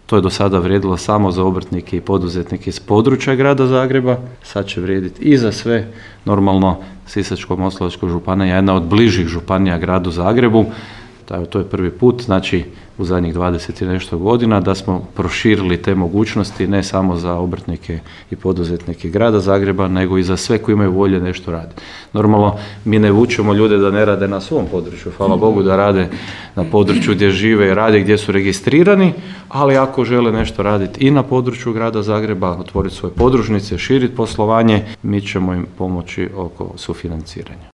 To je do sada vrijedilo samo za obrtnike i poduzetnike iz područja grada Zagreba, sad će vrijediti i za sve. Normalno, Sisačko-moslavačka županija je jedna od bližih županija gradu Zagrebu. To je prvi put, znači u zadnjih 20 i nešto godina da smo proširili te mogućnosti ne samo za obrtnike i poduzetnike grada Zagreba, nego i za sve koji imaju volje nešto raditi. Normalno, mi ne vučemo ljude da ne rade na svom području, hvala Bogu da rade na području gdje žive i rade, gdje su registrirani, ali ako žele nešto raditi i na području grada Zagreba, otvoriti svoje podružnice, širiti poslovanje, mi ćemo im pomoći oko sufinanciranja.